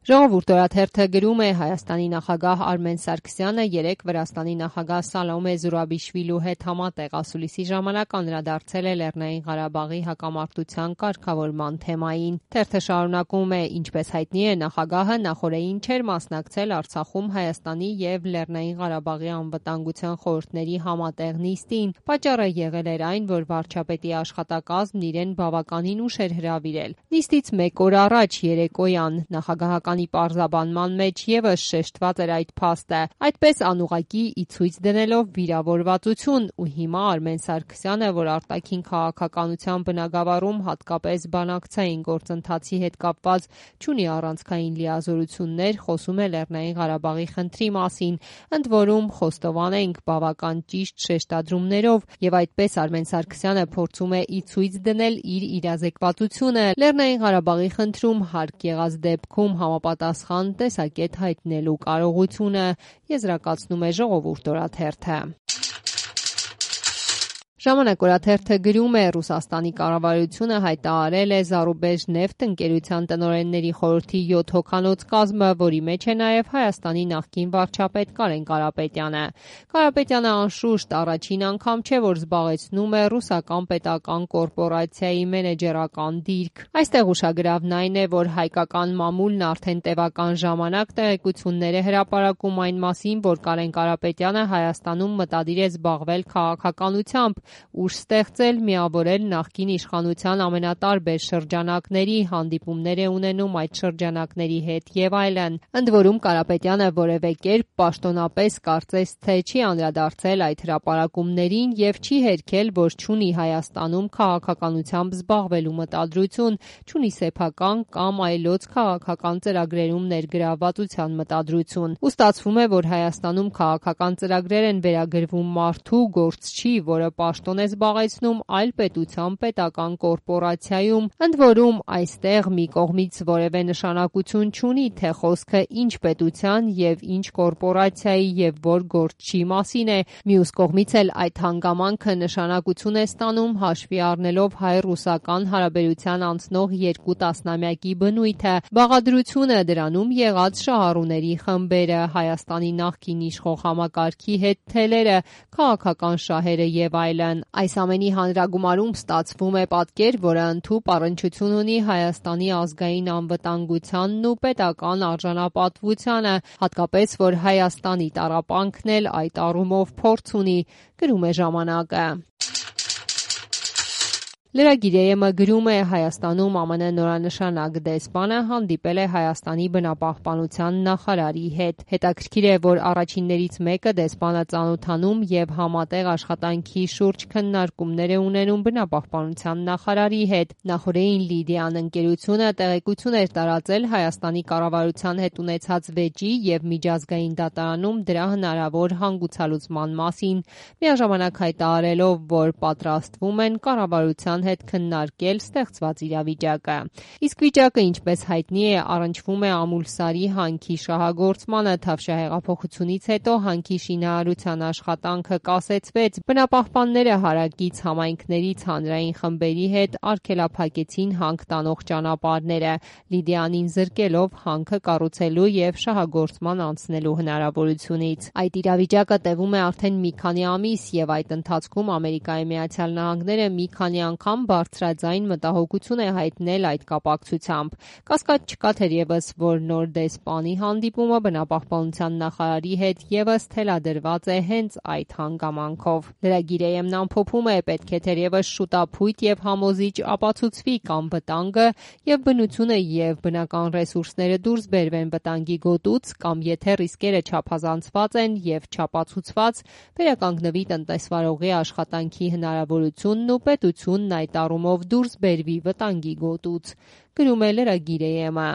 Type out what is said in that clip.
Ժողովուրդ օրաթերթը գրում է Հայաստանի նախագահ Արմեն Սարգսյանը երեկ Վրաստանի նախագահ Սալոմե Զուրաբիշվիլու հետ համատեղ ասուլիսի ժամանակ անդրադարձել է Լեռնային Ղարաբաղի հակամարտության կարգավորման թեմային։ Թերթը շարունակում է, ինչպես հայտնի է, նախագահը նախօրեին չէր մասնակցել Արցախում Հայաստանի եւ Լեռնային Ղարաբաղի անվտանգության խորհուրդների համատեղ նիստին։ Պատճառը եղել էր այն, որ վարչապետի աշխատակազմն իրեն բավականին ուշ էր հրավիրել։ Նիստից մեկ օր առաջ երեկոյան նախագահական պարզաբանման մեջ եւս շեշտված էր այդ փաստը, այդպես անուղղակի ի ցույց դնելով վիրավորվածություն ու հիմա Արմեն Սարգսյանը, որ արտաքին քաղաքականության բնագավառում հատկապես բանակցային գործընթացի հետ կապված չունի առանցքային լիազորություններ, խոսում է Լեռնային Ղարաբաղի խնդրի մասին, ընդ որում խոստովանենք բավական ճիշտ շեշտադրումներով, եւ այդպես Արմեն Սարգսյանը փորձում է ի ցույց դնել իր իրազեկվածությունը Լեռնային Ղարաբաղի խնդրում հարկ եղած դեպքում համապատասխան տեսակետ հայտնելու կարողությունը, եզրակացնում է Ժողովուրդ օրաթերթը։ Ժամանակ օրաթերթը գրում է Ռուսաստանի կառավարությունը հայտարարել է Զարուբեժնեֆտ ընկերության տնօրենների խորհրդի 7 հոգանոց կազմը, որի մեջ է նաև Հայաստանի նախկին վարչապետ Կարեն Կարապետյանը։ Կարապետյանը անշուշտ առաջին անգամ չէ, որ զբաղեցնում է ռուսական պետական կորպորացիայի մենեջերական դիրք։ Այստեղ ուշագրավն այն է, որ հայկական մամուլն արդեն տևական ժամանակ տեղեկություններ է հրապարակում այն մասին, որ Կարեն Կարապետյանը Հայաստանում մտադիր է զբաղվել քաղաքականությամբ, ուժ ստեղծել, միավորել նախկին իշխանության ամենատարբեր շրջանակների, հանդիպումներ է ունենում այդ շրջանակների հետ եւ այլն։ Ընդ որում Կարապետյանը որևէ կերպ պաշտոնապես կարծես թե չի անդրադարձել այդ հրապարակումներին եւ չի հերքել, որ չունի Հայաստանում քաղաքականությամբ զբաղվելու մտադրություն, չունի սեփական կամ այլոց քաղաքական ծրագրերում ներգրավվածության մտադրություն։ Ու ստացվում է, որ Հայաստանում քաղաքական ծրագրեր են վերագրվում մարդու, գործչի, որը պաշտոն է զբաղեցնում այլ պետության պետական կորպորացիայում, ընդ որում այստեղ մի կողմից որևէ նշանակություն չունի, թե խոսքը ինչ պետության եւ ինչ կորպորացիայի եւ որ գործչի մասին է, մյուս կողմից էլ այդ հանգամանքը նշանակություն է ստանում հաշվի առնելով հայ-ռուսական հարաբերության անցնող 2 տասնամյակի բնույթը, բաղադրությունը, դրանում եղած շահառուների խմբերը, Հայաստանի նախկին իշխող համակարգի հետ թելերը, քաղաքական շահերը եւ այլն։ Այս ամենի հանրագումարում ստացվում է պատկեր, որը ընդհուպ առնչություն ունի Հայաստանի ազգային անվտանգությանն ու պետական արժանապատվությանը, հատկապես որ Հայաստանի տառապանքն էլ այդ առումով փորձ ունի, գրում է ժամանակը։ Լրագիր գրում է Հայաստանում ԱՄՆ նորանշանակ դեսպանը հանդիպել է Հայաստանի բնապահպանության նախարարի հետ։ Հետաքրքիր է, որ առաջիններից մեկը դեսպանը ծանոթանում եւ համատեղ աշխատանքի շուրջ քննարկումներ է ունենում բնապահպանության նախարարի հետ։ Նախորդին Լիդիան ընկերությունը տեղեկություն էր տարածել Հայաստանի կառավարության հետ ունեցած վեճի եւ միջազգային դատարանում դրա հնարավոր հանգուցալուծման մասին, միաժամանակ հայտարարելով, որ պատրաստվում են կառավարության հետ քննարկել ստեղծված իրավիճակը։ Իսկ վիճակը, ինչպես հայտնի է, առնչվում է Ամուլսարի հանքի շահագործմանը։ Թավշյա հեղափոխությունից հետո հանքի շինարարության աշխատանքը կասեցվեց, բնապահպանները հարակից համայնքներից հանրային խմբերի հետ արգելափակեցին հանք տանող ճանապարհները, Լիդիանին զրկելով հանքը կառուցելու եւ շահագործման անցնելու հնարավորությունից։ Այդ իրավիճակը տևում է արդեն մի քանի ամիս եւ այդ ընթացքում Ամերիկայի Միացյալ Նահանգները մի քանի անգամ բարձրաձայն մտահոգություն է հայտնել այդ կապակցությամբ։ Կասկած չկա թերևս, որ նոր դեսպանի հանդիպումը բնապահպանության նախարարի հետ եւս թելադրված է հենց այդ հանգամանքով։ Լրագիր AM-ն ամփոփում է, պետք է թերևս շուտափույթ եւ համոզիչ ապացուցվի կամ վտանգը եւ բնությունը եւ բնական ռեսուրսները դուրս բերվեն վտանգի գոտուց, կամ եթե ռիսկերը չափազանցված են եւ չապացուցված, վերականգնվի տնտեսվարողի աշխատանքի հնարավորությունն ու պետությունն այդ առումով դուրս բերվի վտանգի գոտուց, գրում է լրագիր AM-ը։